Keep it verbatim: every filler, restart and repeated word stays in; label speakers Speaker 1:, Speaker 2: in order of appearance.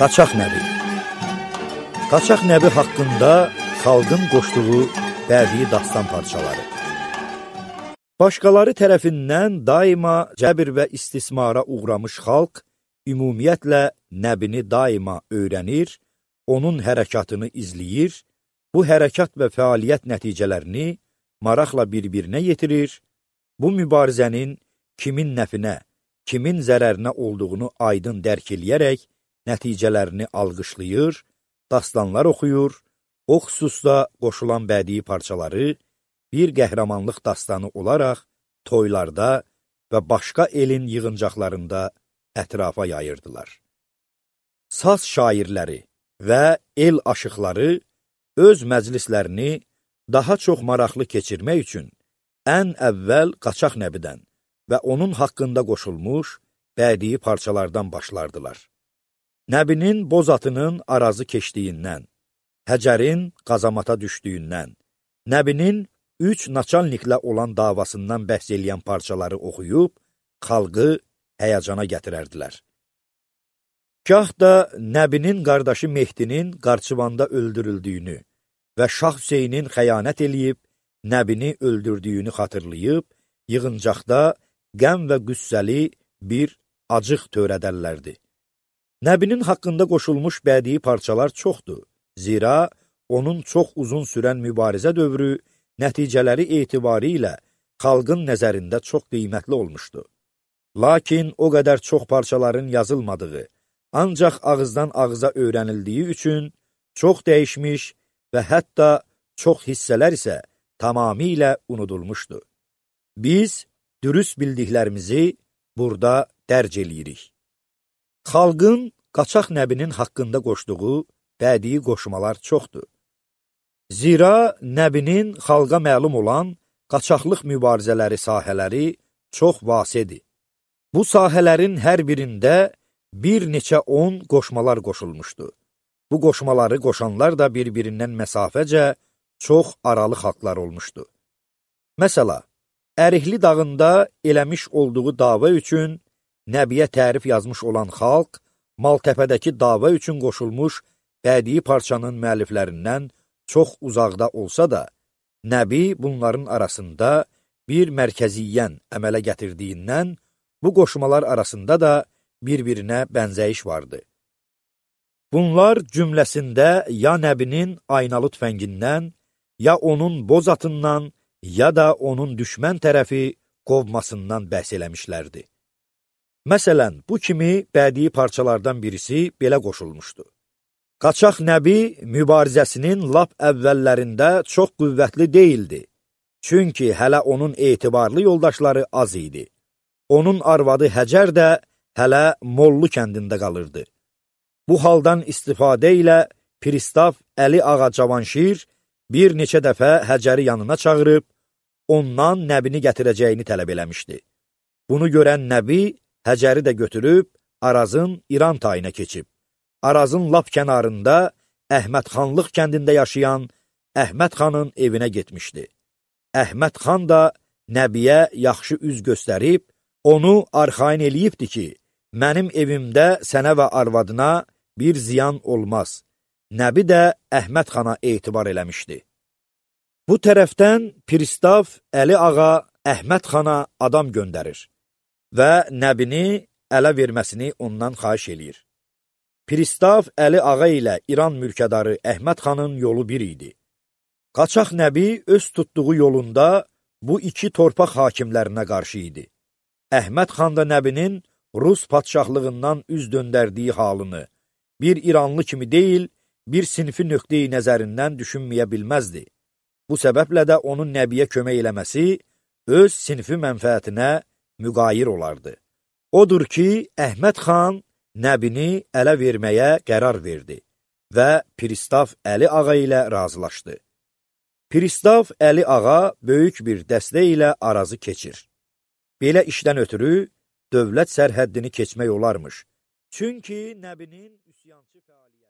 Speaker 1: Qaçaq Nəbi. Qaçaq Nəbi haqqında xalqın qoşduğu bədii dastan parçaları. Başqaları tərəfindən daima cəbr və istismara uğramış xalq, ümumiyyətlə Nəbini daima öyrənir, onun hərəkatını izləyir, bu hərəkat və fəaliyyət nəticələrini maraqla bir-birinə yetirir, bu mübarizənin kimin nəfinə, kimin zərərinə olduğunu aydın dərk eləyərək nəticələrini alqışlayır, dastanlar oxuyur, o xüsusda qoşulan bədii parçaları bir qəhrəmanlıq dastanı olaraq toylarda və başqa elin yığıncaqlarında ətrafa yayırdılar. Saz şairləri və el aşıqları öz məclislərini daha çox maraqlı keçirmək üçün ən əvvəl Qaçaq Nəbidən və onun haqqında qoşulmuş bədii parçalardan başlardılar. Nəbinin boz atının arazı keçdiyindən, Həcərin qazamata düşdüyündən, Nəbinin üç naçalniklə olan davasından bəhs eləyən parçaları oxuyub, xalqı həyəcana gətirərdilər. Gah da Nəbinin qardaşı Mehdinin Qarçıvanda öldürüldüyünü və Şah Hüseynin xəyanət eləyib, Nəbini öldürdüyünü xatırlayıb, yığıncaqda qəm və qüssəli bir acıq törədərlərdi. Nəbinin haqqında qoşulmuş bədii parçalar çoxdur, zira onun çox uzun sürən mübarizə dövrü nəticələri etibarı ilə xalqın nəzərində çox qiymətli olmuşdu. Lakin o qədər çox parçaların yazılmadığı, ancaq ağızdan ağıza öyrənildiyi üçün çox dəyişmiş və hətta çox hissələr isə tamamilə unudulmuşdu. Biz dürüst bildiklərimizi burada dərc eləyirik. Xalqın Qaçaq Nəbinin haqqında qoşduğu bədii qoşmalar çoxdur. Zira Nəbinin xalqa məlum olan qaçaqlıq mübarizələri sahələri çox vasidir. Bu sahələrin hər birində bir neçə on qoşmalar qoşulmuşdu. Bu qoşmaları qoşanlar da bir-birindən məsafəcə çox aralı xalqlar olmuşdu. Məsəla, Ərikli dağında eləmiş olduğu dava üçün Nəbiyə tərif yazmış olan xalq, Maltəpədəki dava üçün qoşulmuş bədii parçanın müəlliflərindən çox uzaqda olsa da, Nəbi bunların arasında bir mərkəziyyən əmələ gətirdiyindən, bu qoşmalar arasında da bir-birinə bənzəyiş vardı. Bunlar cümləsində ya Nəbinin aynalı tüfəngindən, ya onun boz atından, ya da onun düşmən tərəfi qovmasından bəhs eləmişlərdi. Məsələn, bu kimi bədii parçalardan birisi belə qoşulmuşdu. Qaçaq Nəbi mübarizəsinin lap əvvəllərində çox qüvvətli deyildi. Çünki hələ onun etibarlı yoldaşları az idi. Onun arvadı Həcər də hələ Mollu kəndində qalırdı. Bu haldan istifadə ilə Pristav Əli Ağa Cavanşir bir neçə dəfə Həcəri yanına çağırıb, ondan Nəbini gətirəcəyini tələb eləmişdi. Bunu görən Nəbi Həcəri də götürüb Arazın İran tayına keçib. Arazın lap kənarında Əhmədxanlıq kəndində yaşayan Əhməd xanın evinə getmişdi. Əhməd xan da Nəbiyə yaxşı üz göstərib, onu arxain eləyibdi ki, mənim evimdə sənə və arvadına bir ziyan olmaz. Nəbi də Əhməd xana etibar eləmişdi. Bu tərəfdən Pristav Əli Ağa Əhməd xana adam göndərir və Nəbini ələ verməsini ondan xahiş eləyir. Pristav Əli Ağa ilə İran mülkədarı Əhməd xanın yolu bir idi. Qaçaq Nəbi öz tutduğu yolunda bu iki torpaq hakimlərinə qarşı idi. Əhməd xan da Nəbinin Rus padşahlığından üz döndərdiyi halını bir İranlı kimi deyil, bir sinfi nöqteyi nəzərindən düşünməyə bilməzdi. Bu səbəblə də onun Nəbiyə kömək eləməsi öz sinfi mənfəətinə müqayir olardı. Odur ki, Əhməd xan Nəbini ələ verməyə qərar verdi və Pristav Əli Ağa ilə razılaşdı. Pristav Əli Ağa böyük bir dəstə ilə Arazı keçir. Belə işdən ötürü dövlət sərhəddini keçmək olarmış. Çünki Nəbinin üsyançı fəaliyyəti